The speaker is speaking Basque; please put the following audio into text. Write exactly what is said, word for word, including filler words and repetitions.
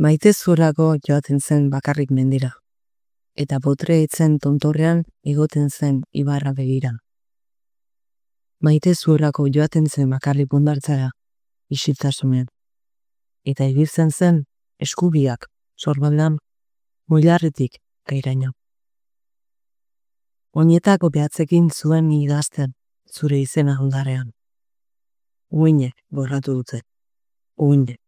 Maite zuelako joaten zen bakarrik mendira, eta botre etzen tontorrean igoten zen ibarra begira. Maite zuelako joaten zen bakarrik hondartzara, isiltasunean, eta ibiltzen zen eskubiak sorbaldan muilarretik gairaino. Oinetako behatzekin zuen idazten zure izena hondarean. Uinek borratu dute. Uinek.